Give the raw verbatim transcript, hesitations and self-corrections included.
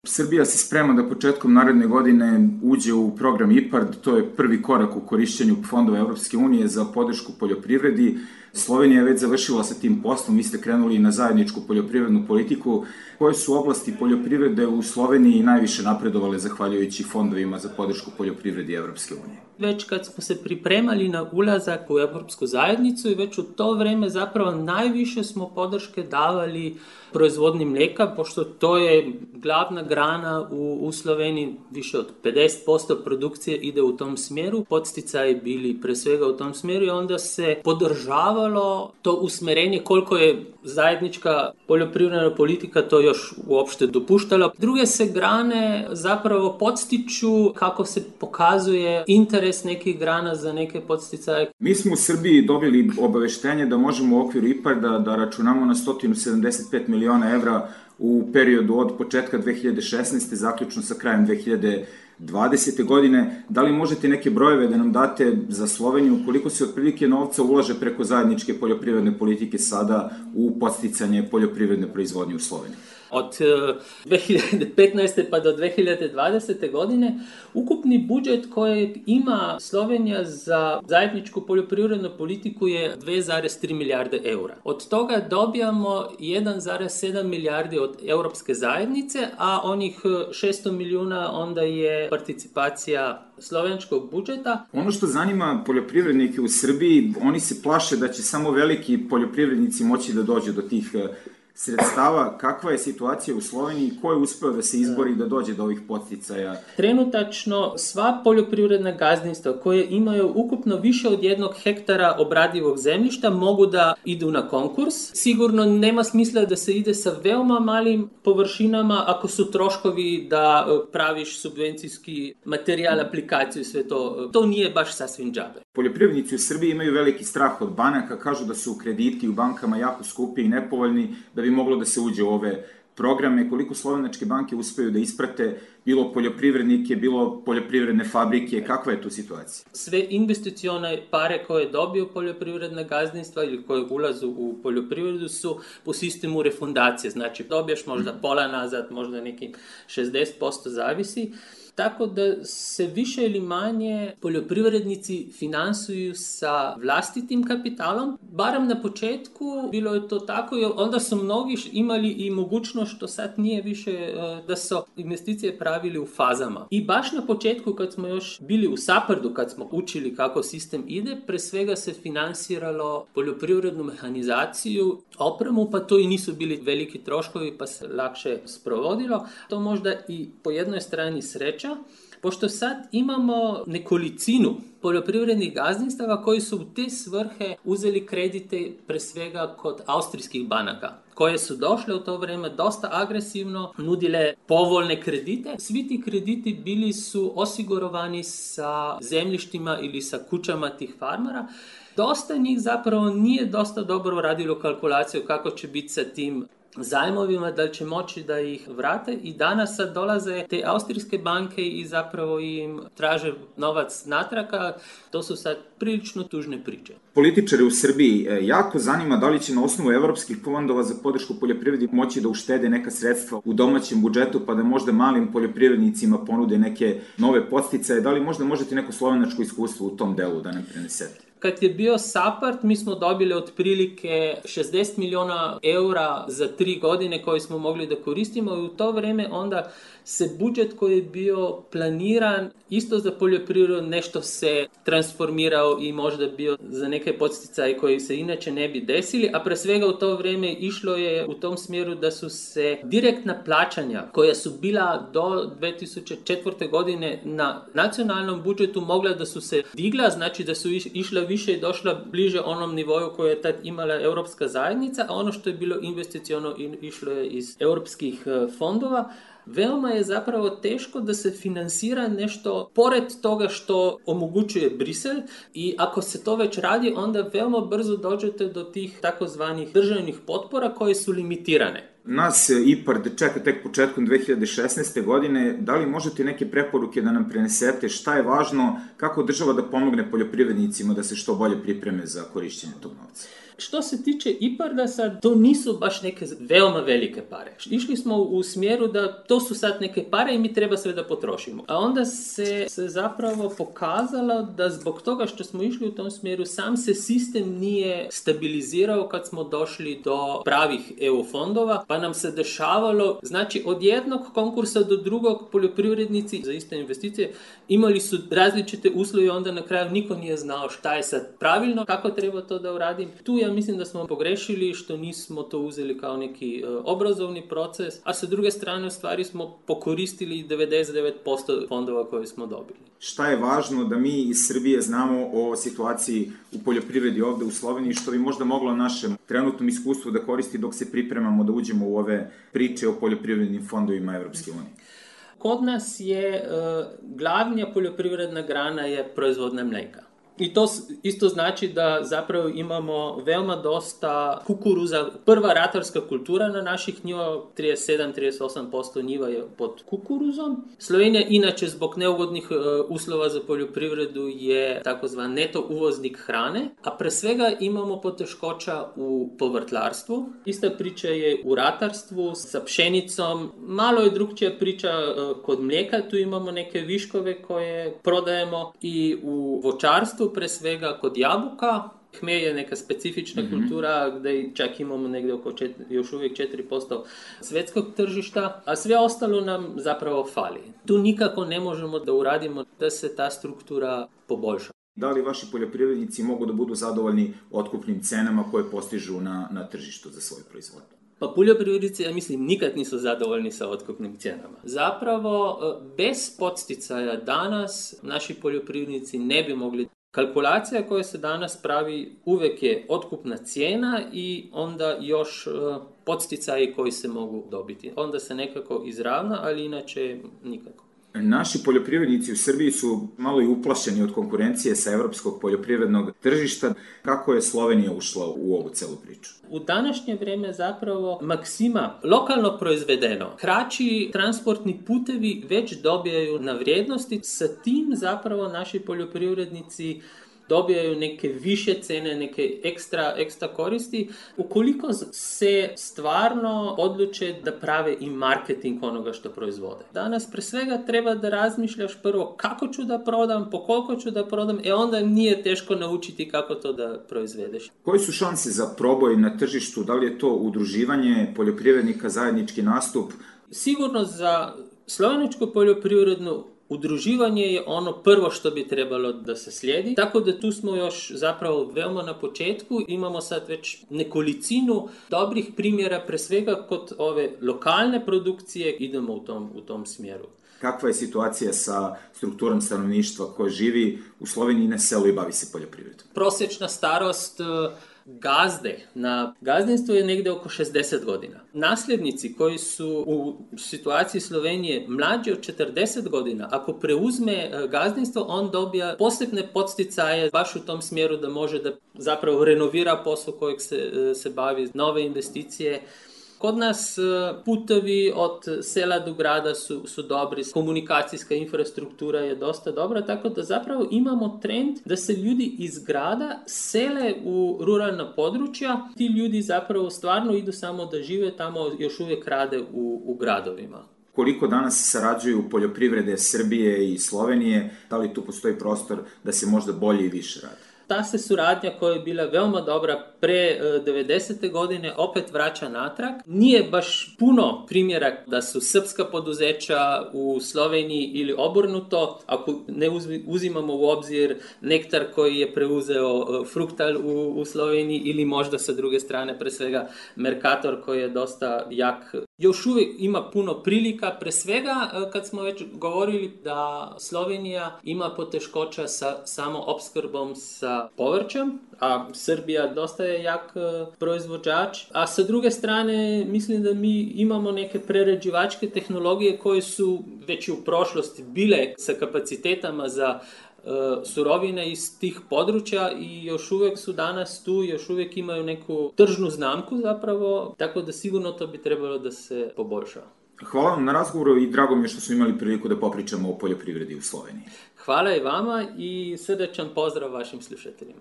Srbija se sprema da početkom naredne godine uđe u program IPARD, to je prvi korak u korišćenju fondova Evropske unije za podršku poljoprivredi. Slovenija je već završila sa tim poslom, vi ste krenuli na zajedničku poljoprivrednu politiku. Koje su oblasti poljoprivrede u Sloveniji najviše napredovale zahvaljujući fondovima za podršku poljoprivredi Evropske unije? Već kad smo se pripremali na ulazak u Evropsku zajednicu i već u to vreme zapravo najviše smo podrške davali proizvodnji mlijeka, pošto to je glavna grana u, u Sloveniji, više od pedeset posto produkcije ide u tom smjeru, podsticaji bili pre svega u tom smjeru i onda se podržavalo to usmerenje koliko je zajednička poljoprivredna politika to još uopšte dopuštala. Druge se grane zapravo podstiču kako se pokazuje interes nekih grana za neke podsticaje. Mi smo u Srbiji dobili obaveštenje da možemo u okviru IPARD-a da računamo na sto sedamdeset pet miliona evra u periodu od početka dve hiljade šesnaeste. zaključno sa krajem dve hiljade dvadesete. godine. Da li možete neke brojeve da nam date za Sloveniju, koliko se otprilike novca ulaže preko zajedničke poljoprivredne politike sada u podsticanje poljoprivredne proizvodnje u Sloveniji? Od dve hiljade petnaeste. pa do dve hiljade dvadesete. godine ukupni budžet koji ima Slovenija za zajedničku poljoprivrednu politiku je dve zarez tri milijarde eura. Od toga dobijamo jedan zarez sedam milijardi od Europske zajednice, a onih šesto milijuna onda je participacija slovenskog budžeta. Ono što zanima poljoprivrednike u Srbiji, oni se plaše da će samo veliki poljoprivrednici moći da dođu do tih sredstava. Kakva je situacija u Sloveniji? Ko je uspeo da se izbori da dođe do ovih podsticaja? Trenutačno sva poljoprivredna gazdinstva koje imaju ukupno više od jednog hektara obradivog zemljišta mogu da idu na konkurs. Sigurno nema smisla da se ide sa veoma malim površinama ako su troškovi da praviš subvencijski materijal, aplikaciju, sve to. To nije baš sasvim džabe. Poljoprivrednici u Srbiji imaju veliki strah od banaka, kažu da su krediti u bankama jako skupi i nepovoljni, da bi moglo da se uđe u ove programe. Koliko slovenačke banke uspeju da isprate bilo poljoprivrednike, bilo poljoprivredne fabrike, kakva je tu situacija? Sve investicione pare koje dobiju poljoprivredna gazdinstva ili koje ulazu u poljoprivredu su po sistemu refundacije, znači dobiješ možda pola nazad, možda neki šezdeset posto zavisi. Tako da se više ili manje poljoprivrednici finansuju sa vlastitim kapitalom. Barem na početku bilo je to tako i onda su mnogi imali i mogućnost, što sad nije više, da su investicije pravili u fazama. I baš na početku kad smo još bili u SAPARD-u, kad smo učili kako sistem ide, pre svega se finansiralo poljoprivrednu mehanizaciju, opremu, pa to i nisu bili veliki troškovi pa se lakše sprovodilo. To možda i po jednoj strani sreća, pošto sad imamo nekolicinu poljoprivrednih gazdinstava koji su u te svrhe uzeli kredite pre svega kod austrijskih banaka, koje su došle u to vreme dosta agresivno, nudile povoljne kredite. Svi ti krediti bili su osigurovani sa zemljištima ili sa kućama tih farmera. Dosta njih zapravo nije dosta dobro radilo kalkulaciju kako će biti sa tim zajmovima, da li će moći da ih vrate i danas sad dolaze te austrijske banke i zapravo im traže novac natraka. To su sad prilično tužne priče. Političari u Srbiji jako zanima da li će na osnovu evropskih fondova za podršku poljoprivredi moći da uštede neka sredstva u domaćem budžetu pa da možda malim poljoprivrednicima ponude neke nove podsticaje. Da li možda možete neko slovenačko iskustvo u tom delu da nam prenesete? Kad je bio SAPARD, mi smo dobili otprilike šezdeset miliona eura za tri godine koje smo mogli da koristimo i u to vreme onda se budžet koji je bio planiran isto za poljoprivredu nešto se transformirao i možda bio za neke podsticaje koji se inače ne bi desili, a pre svega u to vreme išlo je u tom smjeru da su se direktna plaćanja koja su bila do dve tisuće četvrte. godine na nacionalnom budžetu mogla da su se digla, znači da su išla više i došla bliže onom nivoju koje je tad imala Europska zajednica, a ono što je bilo investiciono išlo je iz europskih fondova. Veoma je zapravo teško da se finansira nešto pored toga što omogućuje Brisel i ako se to već radi, onda veoma brzo dođete do tih takozvanih državnih potpora koje su limitirane. Nas IPARD čeka tek početkom dve hiljade šesnaeste. godine. Da li možete neke preporuke da nam prenesete šta je važno, kako država da pomogne poljoprivrednicima da se što bolje pripreme za korišćenje tog novca? Što se tiče IPARD-a sad, to nisu baš neke veoma velike pare. Išli smo u smjeru da to su sad neke pare i mi treba sve da potrošimo. A onda se, se zapravo pokazalo da zbog toga što smo išli u tom smjeru, sam se sistem nije stabilizirao kad smo došli do pravih E U fondova, pa nam se dešavalo, znači od jednog konkursa do drugog poljoprivrednici za iste investicije imali su različite uslove i onda na kraju niko nije znao šta je sad pravilno, kako treba to da uradim. Tu ja mislim da smo pogrešili što nismo to uzeli kao neki uh, obrazovni proces, a sa druge strane u stvari smo pokoristili devedeset devet posto fondova koje smo dobili. Šta je važno da mi iz Srbije znamo o situaciji u poljoprivredi ovde u Sloveniji, što bi možda moglo našem trenutnom iskustvu da koristi dok se pripremamo da uđemo u ove priče o poljoprivrednim fondovima Evropske unije? Kod nas je uh, glavnija poljoprivredna grana je proizvodnja mleka. I to isto znači da zapravo imamo veoma dosta kukuruza. Prva ratarska kultura na naših njiva, trideset sedam do trideset osam posto njiva je pod kukuruzom. Slovenija inače zbog neugodnih uh, uslova za poljoprivredu je takozvan neto uvoznik hrane, a pre svega imamo poteškoća u povrtlarstvu. Ista priča je u ratarstvu sa pšenicom. Malo je drugčija priča uh, kod mlijeka, tu imamo neke viškove koje prodajemo i u voćarstvu, pre svega kod jabuka. Hmelj je neka specifična mm-hmm. kultura gdje čak imamo negdje oko četiri, još uvijek četiri posto svjetskog tržišta, a sve ostalo nam zapravo fali. Tu nikako ne možemo da uradimo da se ta struktura poboljša. Da li vaši poljoprivrednici mogu da budu zadovoljni otkupnim cenama koje postižu na, na tržištu za svoje proizvodnje? Pa poljoprivrednici, ja mislim, nikad nisu zadovoljni sa otkupnim cijenama. Zapravo, bez podsticaja danas naši poljoprivrednici ne bi mogli. Kalkulacija koja se danas pravi uvek je otkupna cijena i onda još podsticaji koji se mogu dobiti. Onda se nekako izravna, ali inače nikako. Naši poljoprivrednici u Srbiji su malo i uplašeni od konkurencije sa evropskog poljoprivrednog tržišta. Kako je Slovenija ušla u ovu celu priču? U današnje vrijeme zapravo maksima lokalno proizvedeno. Kraći transportni putevi već dobijaju na vrijednosti. Sa tim zapravo naši poljoprivrednici dobijaju neke više cene, neke ekstra, ekstra koristi. Ukoliko se stvarno odluče da prave i marketing onoga što proizvode. Danas pre svega treba da razmišljaš prvo kako ću da prodam, po koliko ću da prodam, e onda nije teško naučiti kako to da proizvedeš. Koji su šanse za proboj na tržištu? Da li je to udruživanje poljoprivrednika, zajednički nastup? Sigurno za sloveničku poljoprivrednu udruživanje je ono prvo što bi trebalo da se slijedi, tako da tu smo još zapravo veoma na početku. Imamo sad već nekolicinu dobrih primjera, pre svega kod ove lokalne produkcije idemo u tom, u tom smjeru. Kakva je situacija sa strukturom stanovništva koje živi u Sloveniji na selu i bavi se poljoprivredom? Prosječna starost gazde na gazdinstvu je negdje oko šezdeset godina. Nasljednici koji su u situaciji Slovenije mlađi od četrdeset godina, ako preuzme gazdinstvo, on dobija posebne podsticaje baš u tom smjeru da može da zapravo renovira posao kojeg se, se bavi, nove investicije. Kod nas putovi od sela do grada su, su dobri, komunikacijska infrastruktura je dosta dobra, tako da zapravo imamo trend da se ljudi iz grada sele u ruralna područja. Ti ljudi zapravo stvarno idu samo da žive tamo, još uvijek rade u, u gradovima. Koliko danas sarađuju poljoprivrede Srbije i Slovenije, da li tu postoji prostor da se možda bolje i više radi? Ta se suradnja koja je bila veoma dobra pre devedesete godine opet vraća natrag. Nije baš puno primjera da su srpska poduzeća u Sloveniji ili obrnuto, ako ne uzimamo u obzir Nektar koji je preuzeo Fruktal u, u Sloveniji ili možda sa druge strane pre svega Mercator koji je dosta jak. Još uvijek ima puno prilika, pre svega kad smo već govorili da Slovenija ima poteškoća sa samo opskrbom sa povrćem, a Srbija dosta je jak proizvođač, a sa druge strane mislim da mi imamo neke prerađivačke tehnologije koje su već u prošlosti bile sa kapacitetama za uh, surovine iz tih područja i još uvijek su danas tu, još uvijek imaju neku tržnu znamku zapravo, tako da sigurno to bi trebalo da se poboljša. Hvala vam na razgovoru i drago mi je što smo imali priliku da popričamo o poljoprivredi u Sloveniji. Hvala i vama i srdečan pozdrav vašim slušateljima.